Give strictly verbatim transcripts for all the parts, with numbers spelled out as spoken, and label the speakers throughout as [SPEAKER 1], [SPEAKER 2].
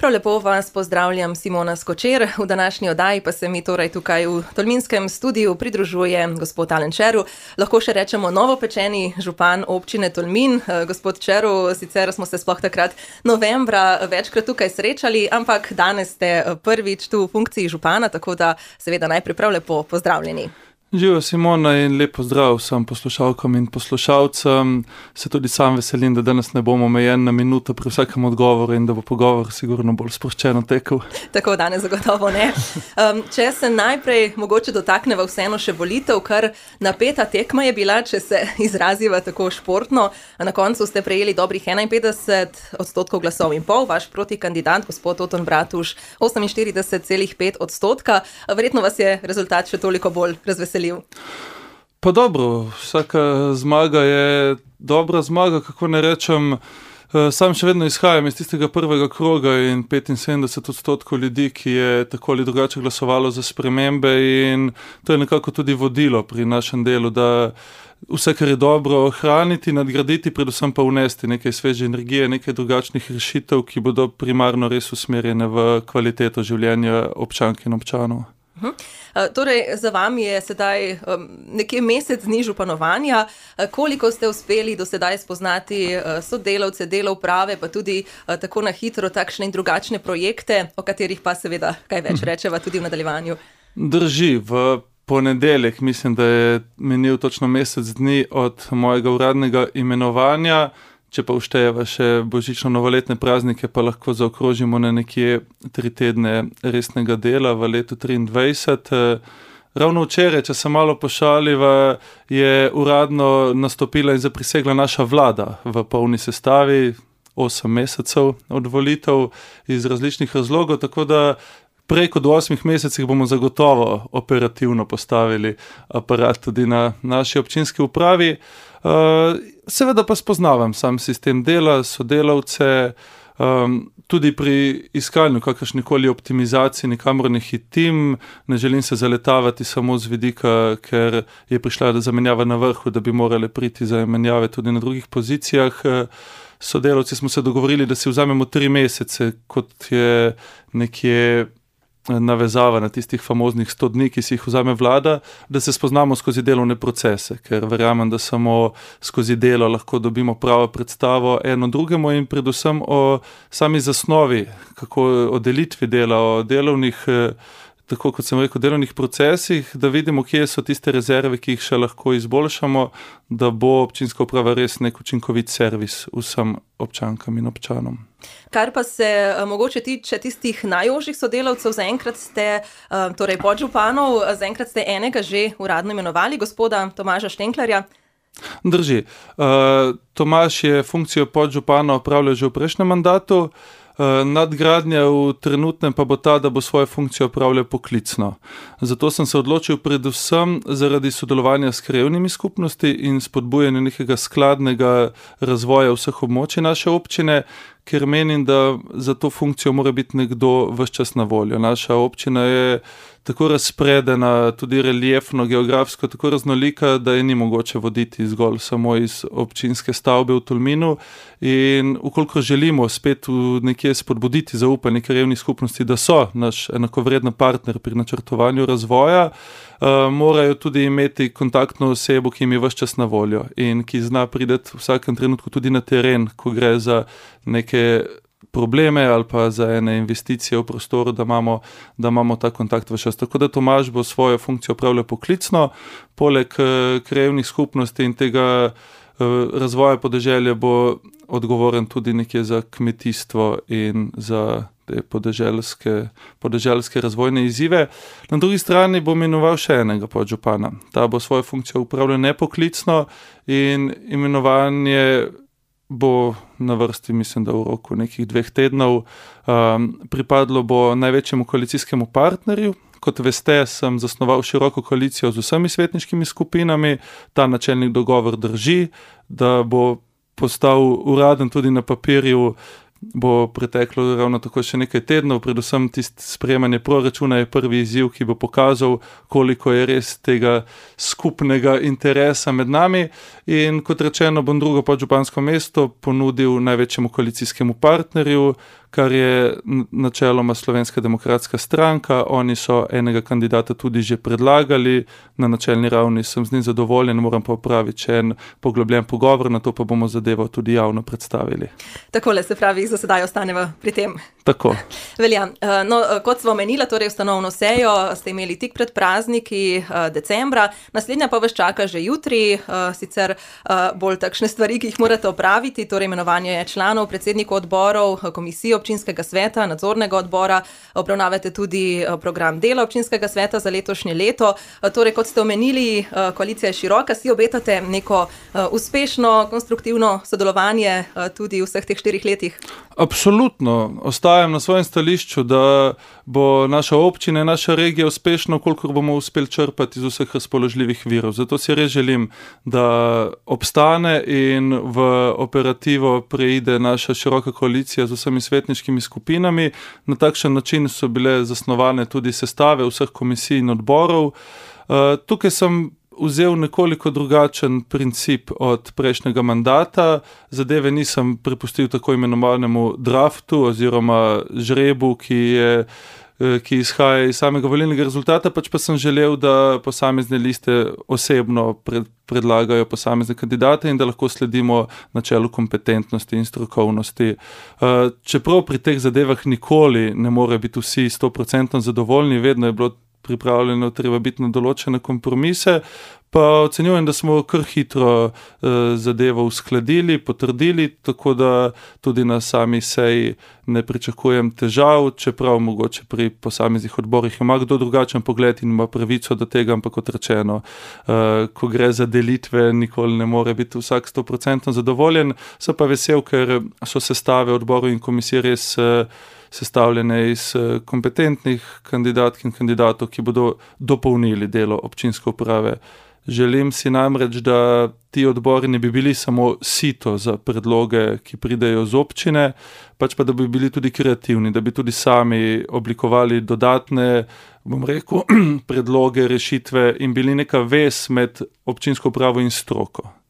[SPEAKER 1] Prav lepo vas pozdravljam, Simona Skočer. V današnji oddaji pa se mi torej tukaj v Tolminskem studiu pridružuje gospod Alen Čeru, lahko še rečemo novopečeni župan občine Tolmin. Gospod Čeru, sicer smo se sploh takrat novembra večkrat tukaj srečali, ampak danes ste prvič tu v funkciji župana, tako da seveda najprej prav lepo pozdravljeni.
[SPEAKER 2] Živijo, Simona, in lep pozdrav vsem poslušalkam in poslušalcem. Se tudi sam veselim, da danes ne bomo omejen na minuto pri vsakem odgovoru in da bo pogovor sigurno bolj sproščeno tekel. Tako
[SPEAKER 1] danes zagotovo ne. Um, če se najprej mogoče dotakneva vseeno še volitev, kar napeta tekma je bila, če se izraziva tako športno. Na koncu ste prejeli dobrih enainpetdeset odstotkov glasov in pol, vaš protikandidat, gospod Oton Bratuš, oseminštirideset celih pet odstotka. Verjetno vas je rezultat še toliko bolj razveselil.
[SPEAKER 2] Pa dobro, vsaka zmaga je dobra zmaga, kako ne rečem. Sam še vedno izhajam iz tistega prvega kroga in petinsedemdeset odstotkov ljudi, ki je tako ali drugače glasovalo za spremembe, in to je nekako tudi vodilo pri našem delu, da vse, kar je dobro, ohraniti, nadgraditi, predvsem pa vnesti nekaj sveže energije, nekaj drugačnih rešitev, ki bodo primarno res usmerjene v kvaliteto življenja občank in občanov.
[SPEAKER 1] Uh, torej, za vami je sedaj um, nekje mesec dni županovanja. Uh, koliko ste uspeli do sedaj spoznati uh, sodelavce, delo uprave, pa tudi uh, tako na hitro takšne in drugačne projekte, o katerih pa seveda kaj več rečeva tudi v nadaljevanju?
[SPEAKER 2] Drži, v ponedeljek mislim, da je menil točno mesec dni od mojega uradnega imenovanja. Če pa uštejeva še božično-novoletne praznike, pa lahko zaokrožimo na nekje tri tedne resnega dela v letu triindvajset. Ravno včeraj, če se malo pošaliva, je uradno nastopila in zaprisegla naša vlada v polni sestavi, osem mesecev od volitev iz različnih razlogov, tako da prej kot v osmih mesecih bomo zagotovo operativno postavili aparat tudi na naši občinski upravi. Uh, seveda pa spoznavam sam sistem dela, sodelavce, um, tudi pri iskanju kakršnikoli optimizaciji nikamor ne hitim, ne želim se zaletavati samo z vidika, ker je prišla zamenjava na vrhu, da bi morale priti za menjave tudi na drugih pozicijah. Sodelavci smo se dogovorili, da si vzamemo tri mesece, kot je nekje navezava na tistih famoznih sto dni, ki si jih vzame vlada, da se spoznamo skozi delovne procese, ker verjamem, da samo skozi delo lahko dobimo pravo predstavo eno drugemu in predvsem o sami zasnovi, kako o delitvi dela, o delovnih, tako kot sem rekel, delovnih procesih, da vidimo, kje so tiste rezerve, ki jih še lahko izboljšamo, da bo občinska uprava res nek učinkovit servis vsem občankam in občanom.
[SPEAKER 1] Kar pa se mogoče tiče tistih najožjih sodelavcev, zaenkrat ste, torej podžupanov, zaenkrat ste enega že uradno imenovali, gospoda Tomaža Štenklerja.
[SPEAKER 2] Drži. Tomaž je funkcijo podžupana opravljal že v prejšnjem mandatu. Nadgradnja v trenutnem pa bo ta, da bo svojo funkcijo opravljal poklicno. Zato sem se odločil predvsem zaradi sodelovanja s krajevnimi skupnosti in spodbujanja nekega skladnega razvoja vseh območij naše občine, ker menim, da za to funkcijo mora biti nekdo ves čas na voljo. Naša občina je tako razpredena, tudi reliefno, geografsko, tako raznolika, da je ni mogoče voditi zgolj samo iz občinske stavbe v Tolminu, in ukoliko želimo spet nekje spodbuditi zaupanje krajevnih skupnosti, da so naš enakovreden partner pri načrtovanju razvoja, Uh, morajo tudi imeti kontaktno osebo, ki jim je ves čas na voljo in ki zna priti v vsakem trenutku tudi na teren, ko gre za neke probleme ali pa za ene investicije v prostoru, da imamo, da imamo ta kontakt ves čas. Tako da Tomaž bo svojo funkcijo opravljal poklicno, poleg uh, krajevnih skupnosti in tega uh, razvoja podeželja bo odgovoren tudi nekje za kmetijstvo in za te podeželske, podeželske razvojne izzive. Na drugi strani bom imenoval še enega podžupana. Ta bo svojo funkcijo upravljal nepoklicno in imenovanje bo na vrsti, mislim, da v roku nekih dveh tednov. Um, pripadlo bo največjemu koalicijskemu partnerju. Kot veste, sem zasnoval široko koalicijo z vsemi svetniškimi skupinami. Ta načelnik dogovor drži, da bo postal uraden tudi na papirju, bo preteklo ravno tako še nekaj tednov, predvsem tisto sprejemanje proračuna je prvi izziv, ki bo pokazal, koliko je res tega skupnega interesa med nami, in kot rečeno bom drugo podžupansko mesto ponudil največjemu koalicijskemu partnerju, kar je načeloma Slovenska demokratska stranka. Oni so enega kandidata tudi že predlagali, na načelni ravni sem z njim zadovoljen, moram pa opraviti še en poglobljen pogovor, na to pa bomo zadevo tudi javno predstavili.
[SPEAKER 1] Takole, se pravi, za sedaj ostaneva pri tem.
[SPEAKER 2] Tako.
[SPEAKER 1] Velja. No, kot smo omenila, torej ustanovno sejo ste imeli tik pred prazniki decembra, naslednja pa vas čaka že jutri, sicer bolj takšne stvari, ki jih morate opraviti, torej imenovanje članov, predsednikov odborov, komisij občinskega sveta, nadzornega odbora, obravnavate tudi program dela občinskega sveta za letošnje leto. Torej, kot ste omenili, koalicija je široka, si obetate neko uspešno, konstruktivno sodelovanje tudi v vseh teh štirih letih?
[SPEAKER 2] Absolutno. Ostajam na svojem stališču, da bo naša občina in naša regija uspešna, kolikor bomo uspeli črpati iz vseh razpoložljivih virov. Zato si res želim, da obstane in v operativo preide naša široka koalicija z vsemi svetniškimi skupinami. Na takšen način so bile zasnovane tudi sestave vseh komisij in odborov. Tukaj sem vzel nekoliko drugačen princip od prejšnjega mandata. Zadeve nisem prepustil tako imenovanemu draftu oziroma žrebu, ki je ki izhaja iz samega volilnega rezultata, pač pa sem želel, da posamezne liste osebno pred, predlagajo posamezne kandidate in da lahko sledimo načelu kompetentnosti in strokovnosti. Čeprav pri teh zadevah nikoli ne more biti vsi sto procentno zadovoljni, vedno je bilo pripravljeno treba biti na določene kompromise, pa ocenjujem, da smo kar hitro eh, zadevo uskladili, potrdili, tako da tudi na sami seji ne pričakujem težav, čeprav mogoče pri posameznih odborih ima kdo drugačen pogled in ima pravico do tega, ampak kot rečeno, eh, ko gre za delitve, nikoli ne more biti vsak sto procentno zadovoljen. Sem pa vesel, ker so sestave odborov in komisij res eh, sestavljene iz kompetentnih kandidatk in kandidatov, ki bodo dopolnili delo občinske uprave. Želim si namreč, da ti odbori ne bi bili samo sito za predloge, ki pridejo z občine, pač pa da bi bili tudi kreativni, da bi tudi sami oblikovali dodatne, bom rekel, predloge, rešitve in bili neka vez med občinsko upravo in stroko.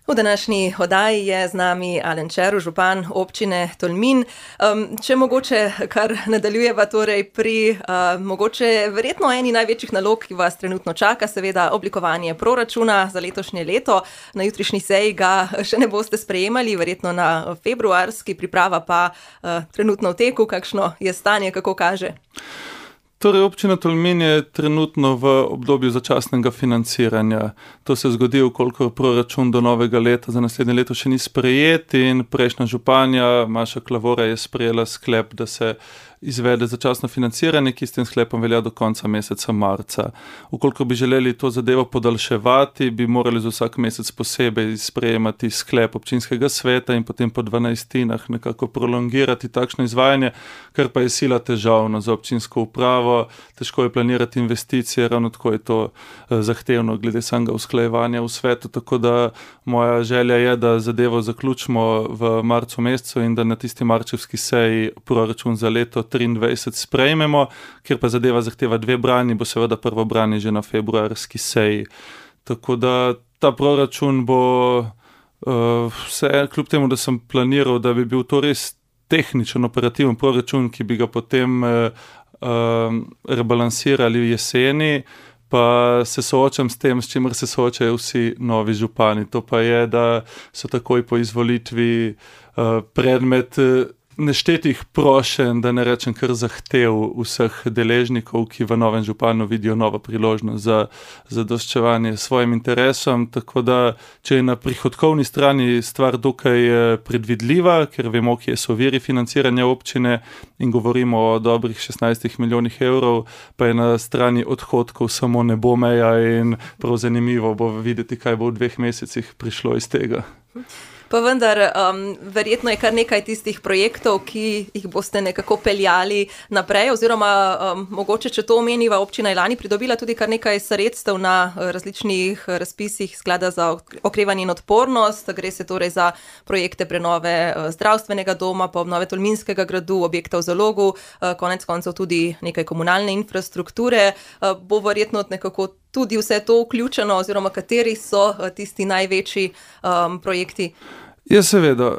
[SPEAKER 1] V današnji oddaji je z nami Alen Červ, župan občine Tolmin. Um, če mogoče kar nadaljujeva torej pri uh, mogoče verjetno eni največjih nalog, ki vas trenutno čaka, seveda oblikovanje proračuna za letošnje leto. Na jutrišnji seji ga še ne boste sprejemali, verjetno na februarski, priprava pa uh, trenutno v teku. Kakšno je stanje, kako kaže?
[SPEAKER 2] Torej, občina Tolmin je trenutno v obdobju začasnega financiranja. To se zgodi, koliko proračun do novega leta za naslednje leto še ni sprejet in prejšnja županja Maša Klavora je sprejela sklep, da se izvede začasno financiranje, ki s tem sklepom velja do konca meseca marca. Ukoliko bi želeli to zadevo podaljševati, bi morali za vsak mesec posebej sprejemati sklep občinskega sveta in potem po dvanajstinah nekako prolongirati takšno izvajanje, kar pa je sila težavno za občinsko upravo. Težko je planirati investicije, ravno tako je to zahtevno glede samega usklajevanja v svetu, tako da moja želja je, da zadevo zaključimo v marcu mesecu in da na tisti marčevski seji proračun za leto triindvajset sprejmemo, ker pa zadeva zahteva dve branji, bo seveda prvo branje že na februarski seji. Tako da ta proračun bo uh, vse, kljub temu, da sem planiral, da bi bil to res tehničen, operativen proračun, ki bi ga potem uh, uh, rebalansirali jeseni, pa se soočam s tem, s čimer se soočajo vsi novi župani. To pa je, da so takoj po izvolitvi uh, predmet uh, neštetih prošenj, da ne rečem kar zahtev vseh deležnikov, ki v novem županu vidijo novo priložnost za zadoščevanje svojim interesom, tako da, če je na prihodkovni strani stvar dokaj predvidljiva, ker vemo, kje so viri financiranja občine in govorimo o dobrih šestnajstih milijonih evrov, pa je na strani odhodkov samo ne bo meja in prav zanimivo bo videti, kaj bo v dveh mesecih prišlo iz tega.
[SPEAKER 1] Pa vendar, um, verjetno je kar nekaj tistih projektov, ki jih boste nekako peljali naprej, oziroma um, mogoče, če to omeniva, občina je lani pridobila tudi kar nekaj sredstev na različnih razpisih Sklada za okrevanje in odpornost. Gre se torej za projekte prenove zdravstvenega doma, pa obnove Tolminskega gradu, objekta v Zalogu, konec koncev tudi nekaj komunalne infrastrukture. Bo verjetno nekako tudi vse to vključeno, oziroma kateri so tisti največji um, projekti?
[SPEAKER 2] Ja, seveda.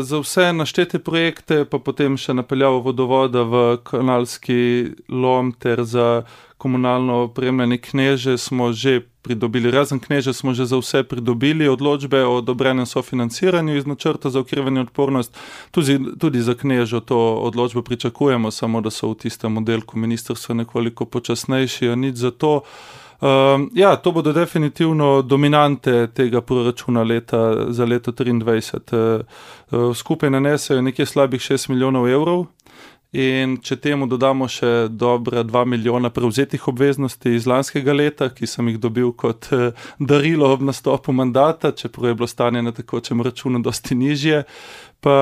[SPEAKER 2] Za vse naštete projekte, pa potem še napeljavo vodovoda v kanalski lom ter za komunalno opremljanje Kneže smo že pridobili, razen Kneže smo že za vse pridobili odločbe o odobrenem sofinanciranju iz načrta za okrevanje in odpornost. Tudi, tudi za Knežo to odločbo pričakujemo, samo da so v tistem oddelku ministrstva nekoliko počasnejši, a nič za to. Uh, ja, to bodo definitivno dominante tega proračuna leta, za leto triindvajset. Uh, uh, skupaj nanesejo nekje slabih šest milijonov evrov in če temu dodamo še dobra dva milijona prevzetih obveznosti iz lanskega leta, ki sem jih dobil kot uh, darilo ob nastopu mandata, čeprav je bilo stanje na tekočem računu dosti nižje. Pa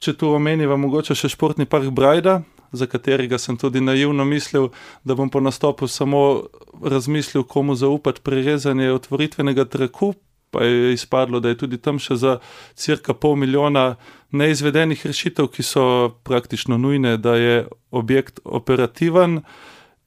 [SPEAKER 2] če tu omeniva mogoče še športni park Brajda, za katerega sem tudi naivno mislil, da bom po nastopu samo razmislil, komu zaupati prerezanje otvoritvenega traku, pa je izpadlo, da je tudi tam še za cirka pol milijona neizvedenih rešitev, ki so praktično nujne, da je objekt operativen.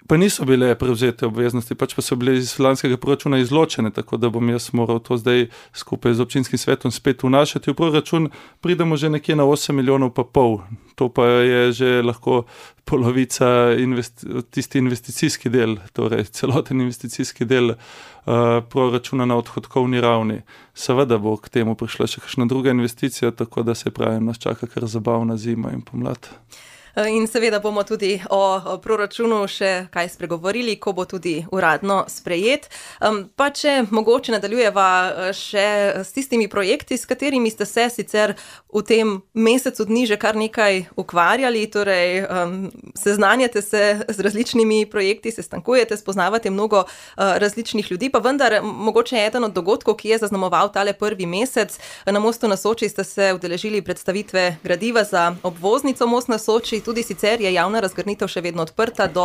[SPEAKER 2] Pa niso bile prevzete obveznosti, pač pa so bile iz lanskega proračuna izločene, tako da bom jaz moral to zdaj skupaj z občinskim svetom spet vnašati. V proračun pridemo že nekje na osem milijonov pa pol. To pa je že lahko polovica investi- tisti investicijski del, torej celoten investicijski del uh, proračuna na odhodkovni ravni. Seveda bo k temu prišla še kakšna druga investicija, tako da se pravim, nas čaka kar zabavna zima in pomlad.
[SPEAKER 1] In seveda bomo tudi o proračunu še kaj spregovorili, ko bo tudi uradno sprejet. Pa če mogoče nadaljujeva še s tistimi projekti, s katerimi ste se sicer v tem mesecu dni že kar nekaj ukvarjali, torej seznanjate se z različnimi projekti, se stankujete, spoznavate mnogo različnih ljudi, pa vendar mogoče je eden od dogodkov, ki je zaznamoval tale prvi mesec. Na Mostu na Soči ste se udeležili predstavitve gradiva za obvoznico Most na Soči. Tudi sicer je javna razgrnitev še vedno odprta do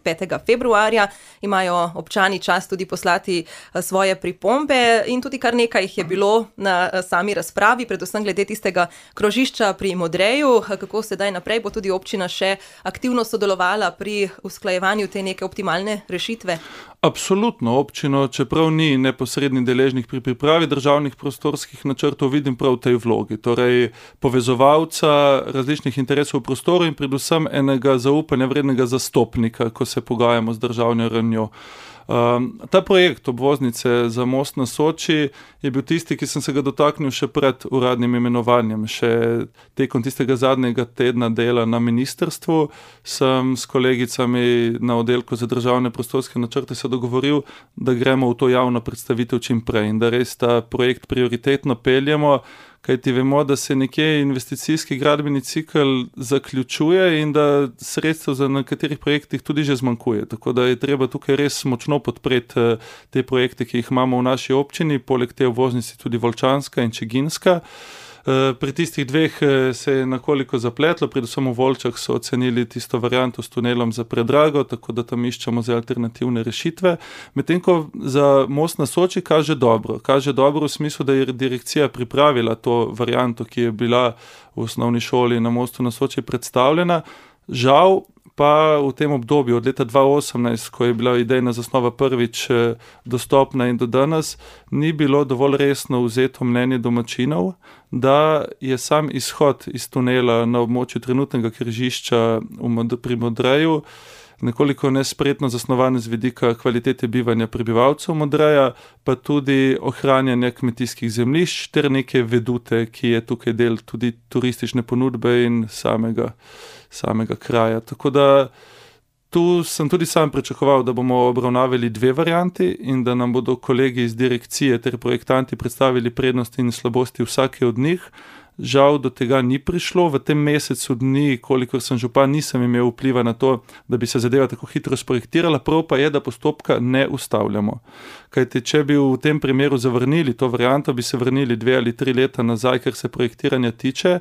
[SPEAKER 1] petega februarja, imajo občani čas tudi poslati svoje pripombe in tudi kar nekaj jih je bilo na sami razpravi, predvsem glede tistega krožišča pri Modreju, kako sedaj naprej bo tudi občina še aktivno sodelovala pri usklajevanju te neke optimalne rešitve.
[SPEAKER 2] Absolutno, občino, čeprav ni neposredni deležnik pri pripravi državnih prostorskih načrtov, vidim prav v tej vlogi, torej povezovalca različnih interesov v prostoru in predvsem enega zaupanja vrednega zastopnika, ko se pogajamo z državno ravnjo. Um, ta projekt obvoznice za Most na Soči je bil tisti, ki sem se ga dotaknil še pred uradnim imenovanjem. Še tekom tistega zadnjega tedna dela na ministrstvu sem s kolegicami na oddelku za državne prostorske načrte se dogovoril, da gremo v to javno predstavitev čim prej in da res ta projekt prioritetno peljemo, kajti vemo, da se nekje investicijski gradbeni cikel zaključuje in da sredstev za nekaterih projektih tudi že zmanjkuje. Tako da je treba tukaj res močno podpreti te projekte, ki jih imamo v naši občini, poleg te obvoznice tudi Volčanska in Čiginska. Pri tistih dveh se je nekoliko zapletlo, predvsem v Volčah so ocenili tisto varianto s tunelom za predrago, tako da tam iščemo za alternativne rešitve. Medtem ko za Most na Soči kaže dobro. Kaže dobro v smislu, da je direkcija pripravila to varianto, ki je bila v osnovni šoli na Mostu na Soči predstavljena. Žal pa v tem obdobju od leta dva tisoč osemnajst, ko je bila idejna zasnova prvič dostopna in do danes, ni bilo dovolj resno vzeto mnenje domačinov, da je sam izhod iz tunela na območju trenutnega križišča pri Modreju nekoliko nespretno zasnovan z vidika kvalitete bivanja prebivalcev Modreja, pa tudi ohranjanja kmetijskih zemljišč ter neke vedute, ki je tukaj del tudi turistične ponudbe in samega samega kraja. Tako da tu sem tudi sam pričakoval, da bomo obravnavali dve varianti in da nam bodo kolegi iz direkcije ter projektanti predstavili prednosti in slabosti vsake od njih. Žal do tega ni prišlo. V tem mesecu dni, kolikor sem župan, nisem imel vpliva na to, da bi se zadeva tako hitro sprojektirala, prav pa je, da postopka ne ustavljamo. Kajti, če bi v tem primeru zavrnili to varianto, bi se vrnili dve ali tri leta nazaj, kar se projektiranja tiče.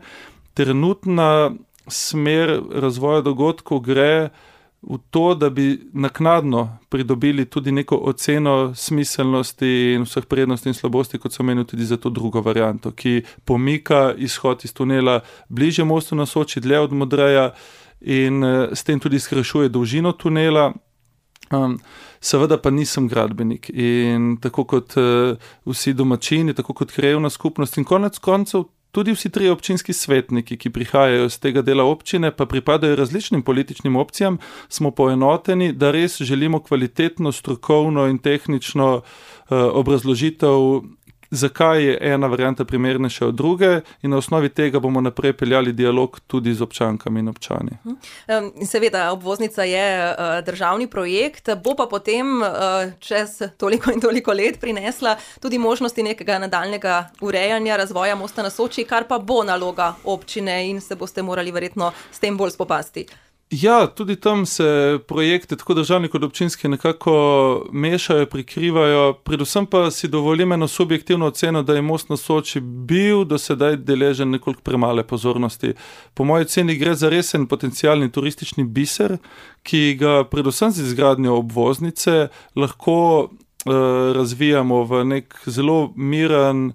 [SPEAKER 2] Trenutna smer razvoja dogodkov gre v to, da bi naknadno pridobili tudi neko oceno smiselnosti in vseh prednosti in slabosti, kot so menili tudi za to drugo varianto, ki pomika izhod iz tunela bližje Mostu na Soči, dlje od Modreja in s tem tudi skrajšuje dolžino tunela. Um, seveda pa nisem gradbenik in tako kot uh, vsi domačini, tako kot krajevna skupnost in konec koncev tudi vsi tri občinski svetniki, ki prihajajo z tega dela občine, pa pripadajo različnim političnim opcijam, smo poenoteni, da res želimo kvalitetno, strokovno in tehnično uh, obrazložitev, zakaj je ena varianta primernejša od druge, in na osnovi tega bomo naprej peljali dialog tudi z občankami in občani.
[SPEAKER 1] In seveda, obvoznica je državni projekt, bo pa potem čez toliko in toliko let prinesla tudi možnosti nekega nadaljnega urejanja, razvoja Mosta na Soči, kar pa bo naloga občine in se boste morali verjetno s tem bolj spopasti.
[SPEAKER 2] Ja, tudi tam se projekte, tako državni kot občinski, nekako mešajo, prikrivajo, predvsem pa si dovolim eno subjektivno oceno, da je Most na Soči bil do sedaj deležen nekoliko premale pozornosti. Po moji oceni gre za resen potencialni turistični biser, ki ga predvsem z izgradnjo obvoznice lahko uh, razvijamo v nek zelo miren,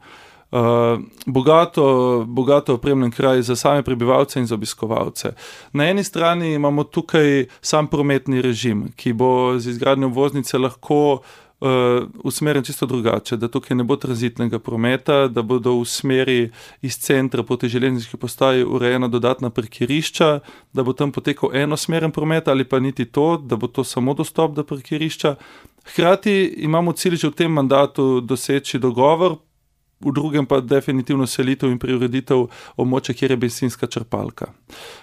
[SPEAKER 2] Uh, bogato, bogato opremljen kraj za same prebivalce in za obiskovalce. Na eni strani imamo tukaj sam prometni režim, ki bo z izgradnjo obvoznice lahko uh, usmerjen čisto drugače, da tukaj ne bo tranzitnega prometa, da bodo v smeri iz centra proti železniški postaji urejena dodatna parkirišča, da bo tam potekal enosmeren promet ali pa niti to, da bo to samo dostop do parkirišča. Hkrati imamo cilj že v tem mandatu doseči dogovor, v drugem pa definitivno selitev in preureditev območja, kjer je bencinska črpalka.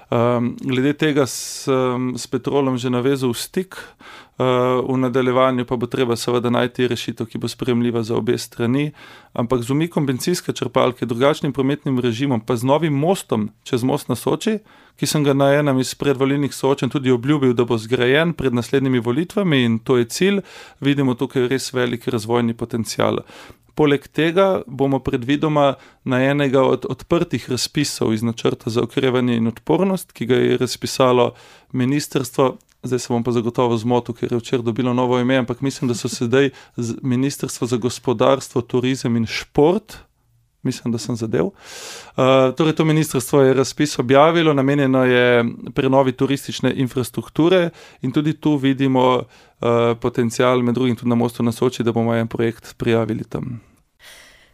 [SPEAKER 2] Um, glede tega sem s Petrolom že navezal v stik, uh, v nadaljevanju pa bo treba seveda najti rešitev, ki bo sprejemljiva za obe strani, ampak z umikom bencinske črpalke, drugačnim prometnim režimom, pa z novim mostom čez Most na Soči, ki sem ga na enem iz predvolilnih soočenj tudi obljubil, da bo zgrajen pred naslednjimi volitvami, in to je cilj, vidimo tukaj res velik razvojni potencial. Poleg tega bomo predvidoma na enega od odprtih razpisov iz načrta za okrevanje in odpornost, ki ga je razpisalo ministrstvo, zdaj se bom pa zagotovo zmotil, ker je včeraj dobilo novo ime, ampak mislim, da so sedaj Ministrstvo za gospodarstvo, turizem in šport, mislim, da sem zadev. Uh, torej, to ministrstvo je razpis objavilo, namenjeno je prenovi turistične infrastrukture in tudi tu vidimo uh, potencial, med drugim tudi na Mostu na Soči, da bomo en projekt prijavili tam.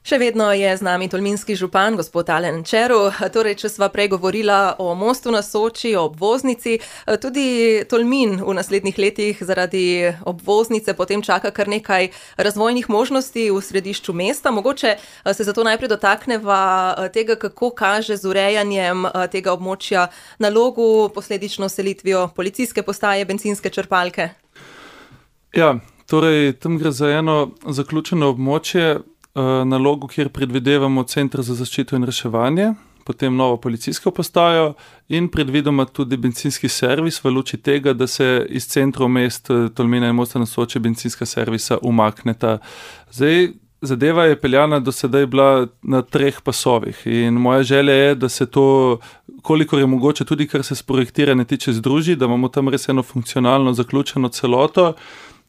[SPEAKER 1] Še vedno je z nami tolminski župan, gospod Alen Čeru. Torej, če sva prej govorila o Mostu na Soči, o obvoznici, tudi Tolmin v naslednjih letih zaradi obvoznice potem čaka kar nekaj razvojnih možnosti v središču mesta. Mogoče se zato najprej dotakneva tega, kako kaže z urejanjem tega območja nalogu, posledično selitvijo policijske postaje, bencinske črpalke.
[SPEAKER 2] Ja, torej, tam gre za eno zaključeno območje, nalogu, kjer predvidevamo Center za zaščito in reševanje, potem novo policijsko postajo in predvidoma tudi bencinski servis v luči tega, da se iz centrov mest Tolmina in Mosta na Soči bencinska servisa umakneta. Zdaj, zadeva je peljana do sedaj bila na treh pasovih in moja želja je, da se to, kolikor je mogoče, tudi kar se s projektiranja tiče, združi, da imamo tam res eno funkcionalno zaključeno celoto,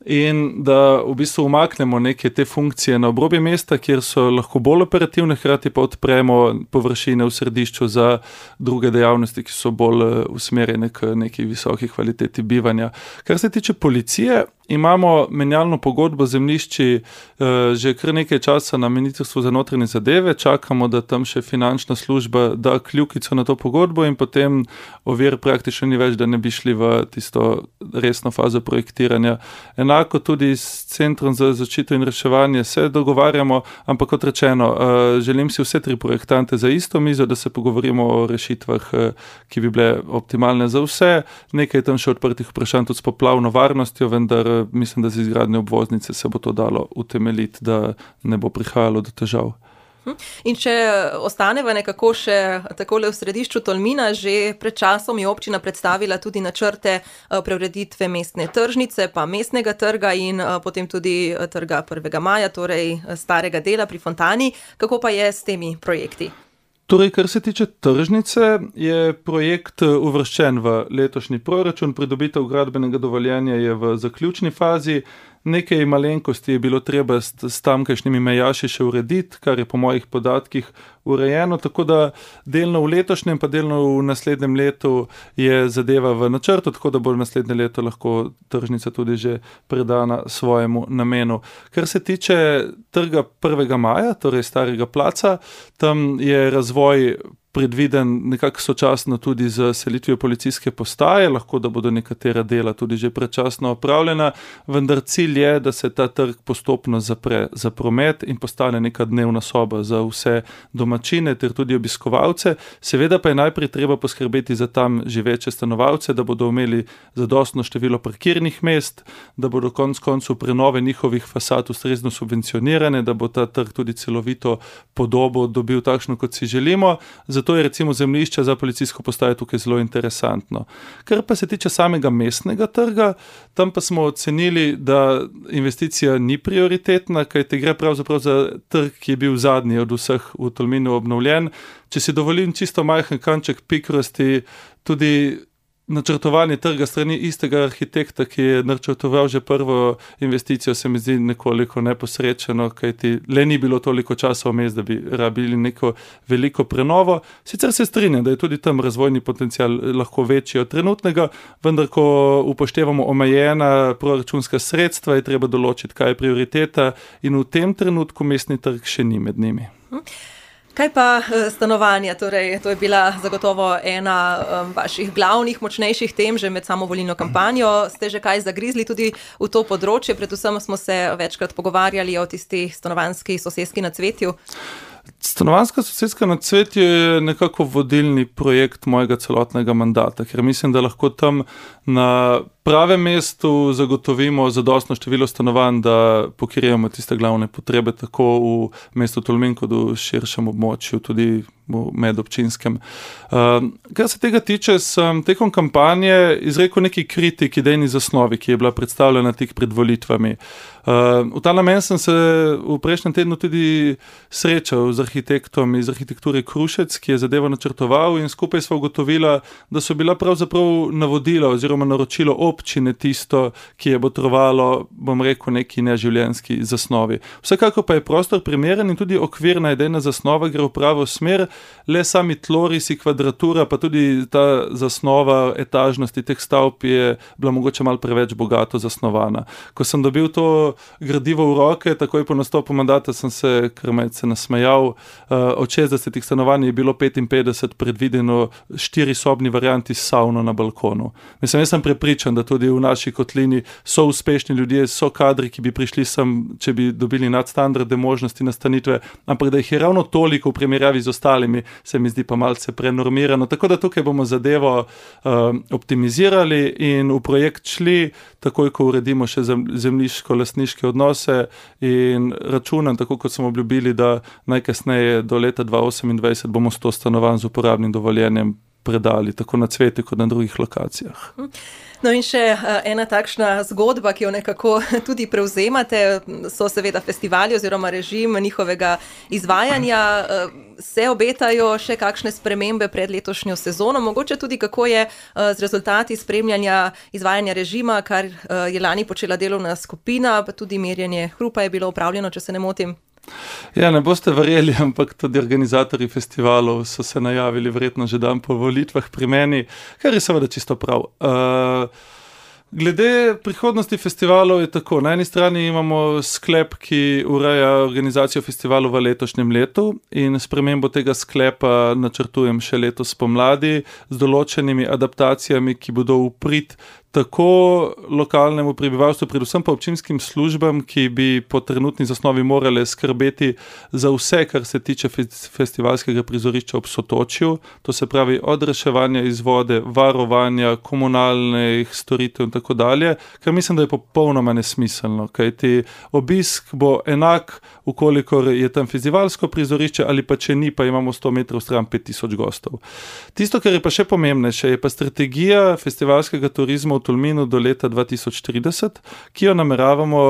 [SPEAKER 2] in da v bistvu umaknemo neke te funkcije na obrobje mesta, kjer so lahko bolj operativne, hkrati pa odpremo površine v središču za druge dejavnosti, ki so bolj usmerjene k neki visoki kvaliteti bivanja. Kar se tiče policije, imamo menjalno pogodbo zemljišči eh, že kar nekaj časa na Ministrstvu za notranje zadeve, čakamo, da tam še finančna služba da kljukico na to pogodbo in potem ovir praktično ni več, da ne bi šli v tisto resno fazo projektiranja. Enako tudi s Centrom za zaščito in reševanje se dogovarjamo, ampak kot rečeno, eh, želim si vse tri projektante za isto mizo, da se pogovorimo o rešitvah, eh, ki bi bile optimalne za vse. Nekaj je tam še odprtih vprašanj tudi s poplavno varnostjo, vendar mislim, da z izgradnjo obvoznice se bo to dalo utemeljiti, da ne bo prihajalo do težav.
[SPEAKER 1] In če ostaneva nekako še takole v središču Tolmina, že pred časom je občina predstavila tudi načrte preureditve mestne tržnice, pa mestnega trga in potem tudi trga prvega maja, torej starega dela pri Fontani. Kako pa je s temi projekti?
[SPEAKER 2] Torej, kar se tiče tržnice, je projekt uvrščen v letošnji proračun, pridobitev gradbenega dovoljenja je v zaključni fazi. nekaj malenkosti je bilo treba s, s tamkajšnjimi mejaši še urediti, kar je po mojih podatkih urejeno, tako da delno v letošnjem, pa delno v naslednjem letu je zadeva v načrtu, tako da bo naslednje leto lahko tržnica tudi že predana svojemu namenu. Kar se tiče trga prvega maja, torej Starega placa, tam je razvoj predviden nekako sočasno tudi z selitvijo policijske postaje, lahko da bodo nekatera dela tudi že predčasno opravljena, vendar cilj je, da se ta trg postopno zapre za promet in postane neka dnevna soba za vse domačine ter tudi obiskovalce. Seveda pa je najprej treba poskrbeti za tam živeče stanovalce, da bodo imeli zadostno število parkirnih mest, da bodo konec koncev prenove njihovih fasad ustrezno subvencionirane, da bo ta trg tudi celovito podobo dobil takšno, kot si želimo. Zato je recimo zemljišče za policijsko postajo tukaj zelo interesantno. Kar pa se tiče samega mestnega trga, tam pa smo ocenili, da investicija ni prioritetna, kajte gre pravzaprav za trg, ki je bil zadnji od vseh v Tolminu obnovljen. Če si dovolim čisto majhen kanček pikrosti, tudi načrtovanje trga strani istega arhitekta, ki je načrtoval že prvo investicijo, se mi zdi nekoliko neposrečeno, kajti le ni bilo toliko časa vmes, da bi rabili neko veliko prenovo. Sicer se strinjam, da je tudi tam razvojni potencial lahko večji od trenutnega, vendar ko upoštevamo omejena proračunska sredstva, je treba določiti, kaj je prioriteta in v tem trenutku mestni trg še ni med njimi.
[SPEAKER 1] Kaj pa stanovanja? Torej, to je bila zagotovo ena um, vaših glavnih, močnejših tem že med samo volilno kampanjo. Ste že kaj zagrizli tudi v to področje? Predvsem smo se večkrat pogovarjali o tisti stanovanjski soseski na Cvetju.
[SPEAKER 2] Stanovanjska soseska na Cvetju je nekako vodilni projekt mojega celotnega mandata, ker mislim, da lahko tam na pravem mestu zagotovimo zadostno število stanovanj, da pokrijemo tiste glavne potrebe tako v mestu Tolmin kot v širšem območju, tudi v medobčinskem. Uh, kar se tega tiče, sem tekom kampanje izrekel neki kritik idejni zasnovi, ki je bila predstavljena tik pred volitvami. Uh, v ta namen sem se v prejšnjem tednu tudi srečal z arhitektom iz arhitekture Krušec, ki je zadevo načrtoval, in skupaj sva ugotovila, da so bila pravzaprav navodila oziroma naročilo občine tisto, ki je botrovalo, bom rekel, neki neživljenjski zasnovi. Vsekako pa je prostor primeren in tudi okvirna idejna zasnova gre v pravo smer, le sami tlorisi, kvadratura, pa tudi ta zasnova etažnosti teh stavb je bila mogoče malo preveč bogato zasnovana. Ko sem dobil to gradivo v roke, takoj po nastopu mandata sem se kar malce nasmejal. Od šestdesetih stanovanj je bilo petinpetdeset predvideno štirisobni varianti s savno na balkonu. Mislim, jaz sem prepričan, da tudi v naši kotlini so uspešni ljudje, so kadri, ki bi prišli sem, če bi dobili nadstandardne možnosti nastanitve, ampak da jih je ravno toliko v primerjavi z ostalimi, se mi zdi pa malce prenormirano. Tako da tukaj bomo zadevo uh, optimizirali in v projekt šli, takoj ko uredimo še zemljiško-lastniške odnose, in računam, tako kot smo obljubili, da najkasneje do leta dva tisoč osemindvajset bomo sto stanovanj z uporabnim dovoljenjem predali, tako na Cvetju kot na drugih lokacijah.
[SPEAKER 1] No in še ena takšna zgodba, ki jo nekako tudi prevzemate, so seveda festivali oziroma režim njihovega izvajanja. Se obetajo še kakšne spremembe pred letošnjo sezono? Mogoče tudi kako je z rezultati spremljanja izvajanja režima, kar je lani počela delovna skupina, pa tudi merjenje hrupa je bilo opravljeno, če se ne motim.
[SPEAKER 2] Ja, ne boste verjeli, ampak tudi organizatorji festivalov so se najavili verjetno že dan po volitvah pri meni, kar je seveda čisto prav. Uh, glede prihodnosti festivalov je tako. Na eni strani imamo sklep, ki ureja organizacijo festivalov v letošnjem letu, in spremembo tega sklepa načrtujem še letos pomladi z določenimi adaptacijami, ki bodo v prid tako lokalnemu prebivalstvu, predvsem pa občinskim službam, ki bi po trenutni zasnovi morale skrbeti za vse, kar se tiče festivalskega prizorišča ob Sotočju, to se pravi od reševanja iz vode, varovanja, komunalnih storitev in tako dalje, kar mislim, da je popolnoma nesmiselno, kajti obisk bo enak, ukolikor je tam festivalsko prizorišče, ali pa če ni, pa imamo sto metrov stran pet tisoč gostov. Tisto, kar je pa še pomembnejše, je pa strategija festivalskega turizma v Tolminu do leta dva tisoč trideset, ki jo nameravamo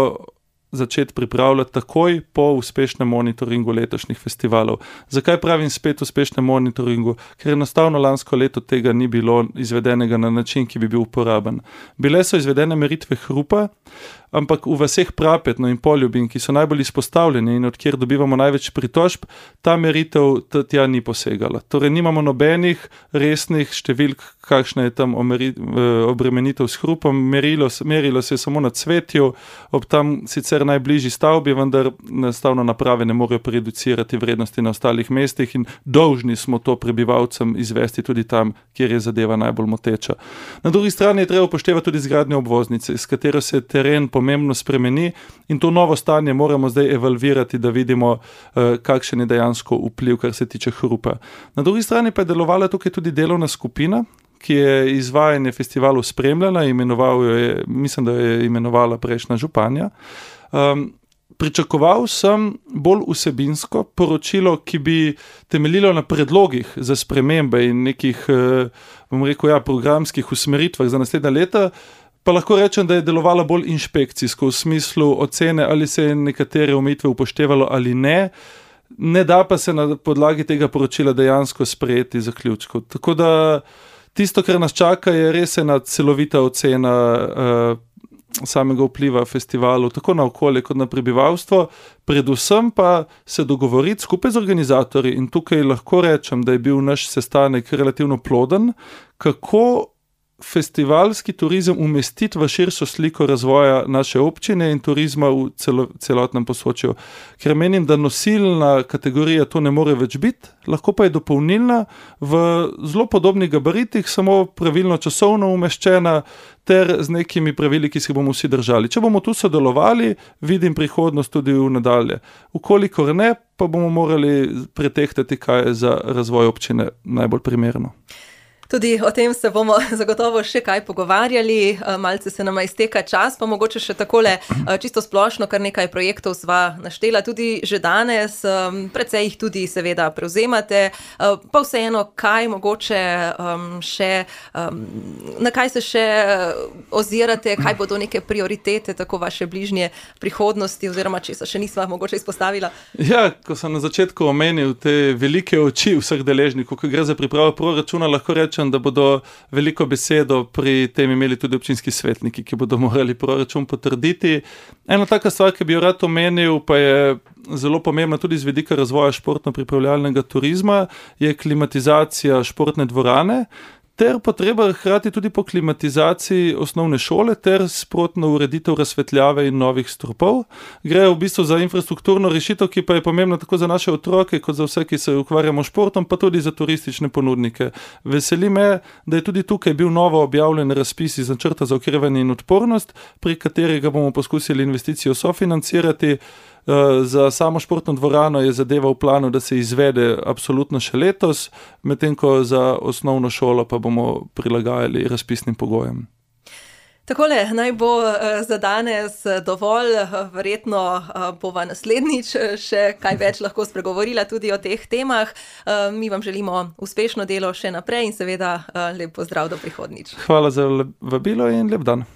[SPEAKER 2] začeti pripravljati takoj po uspešnem monitoringu letošnjih festivalov. Zakaj pravim spet uspešnem monitoringu? Ker enostavno lansko leto tega ni bilo izvedenega na način, ki bi bil uporaben. Bile so izvedene meritve hrupa, ampak v vaseh Prapetno in Poljubin, ki so najbolj izpostavljeni in od kjer dobivamo največ pritožb, ta meritev tja ni posegala. Torej nimamo nobenih resnih številk, kakšna je tam omeri, obremenitev s hrupom, merilo, merilo se je samo na Cvetju, ob tam sicer najbližji stavbi, vendar enostavno naprave ne morejo prereducirati vrednosti na ostalih mestih in dolžni smo to prebivalcem izvesti tudi tam, kjer je zadeva najbolj moteča. Na drugi strani je treba upoštevati tudi zgradnjo obvoznice, s katero se teren pomembno spremeni in to novo stanje moramo zdaj evalvirati, da vidimo, kakšen je dejansko vpliv, kar se tiče hrupa. Na drugi strani pa je delovala tukaj tudi delovna skupina, ki je izvajanje festivalov spremljala, imenoval jo je, mislim, da je imenovala prejšnja županja. Um, pričakoval sem bolj vsebinsko poročilo, ki bi temeljilo na predlogih za spremembe in nekih, bom rekel, ja, programskih usmeritvah za naslednja leta, pa lahko rečem, da je delovala bolj inšpekcijsko v smislu ocene, ali se je nekatere omejitve upoštevalo ali ne. Ne da pa se na podlagi tega poročila dejansko sprejeti zaključkov. Tako da tisto, kar nas čaka, je res ena celovita ocena uh, samega vpliva festivalov, tako na okolje kot na prebivalstvo, predvsem pa se dogovoriti skupaj z organizatorji in tukaj lahko rečem, da je bil naš sestanek relativno ploden, kako festivalski turizem umestiti v širšo sliko razvoja naše občine in turizma v celo, celotnem Posočju. Ker menim, da nosilna kategorija to ne more več biti, lahko pa je dopolnilna v zelo podobnih gabaritih, samo pravilno časovno umeščena ter z nekimi pravili, ki se bomo vsi držali. Če bomo tu sodelovali, vidim prihodnost tudi v nadalje. Ukolikor ne, pa bomo morali pretehtati, kaj je za razvoj občine najbolj primerno.
[SPEAKER 1] Tudi o tem se bomo zagotovo še kaj pogovarjali, malce se nama izteka čas, pa mogoče še takole čisto splošno, kar nekaj projektov sva naštela tudi že danes, precej jih tudi seveda prevzemate, pa vseeno, kaj mogoče še, na kaj se še ozirate, kaj bodo neke prioritete, tako vaše bližnje prihodnosti, oziroma česa še nisva mogoče izpostavila?
[SPEAKER 2] Ja, ko sem na začetku omenil te velike oči vseh deležnikov, ko gre za pripravo proračuna, lahko rečem, da bodo veliko besedo pri tem imeli tudi občinski svetniki, ki bodo morali proračun potrditi. Ena taka stvar, ki bi jo rad omenil, pa je zelo pomembna tudi z vidika razvoja športno-pripravljalnega turizma, je klimatizacija športne dvorane, ter potreba hkrati tudi po klimatizaciji osnovne šole ter sprotno ureditev razsvetljave in novih stropov. Gre v bistvu za infrastrukturno rešitev, ki pa je pomembna tako za naše otroke, kot za vse, ki se ukvarjamo športom, pa tudi za turistične ponudnike. Veseli me, da je tudi tukaj bil novo objavljen razpis iz načrta za okrevanje in odpornost, pri katerega bomo poskusili investicijo sofinancirati. Za samo športno dvorano je zadeva v planu, da se izvede absolutno še letos, medtem ko za osnovno šolo pa bomo prilagajali razpisnim pogojem.
[SPEAKER 1] Takole, naj bo za danes dovolj, verjetno bova naslednjič še kaj več lahko spregovorila tudi o teh temah. Mi vam želimo uspešno delo še naprej in seveda lep pozdrav do prihodnjič.
[SPEAKER 2] Hvala za vabilo in lep dan.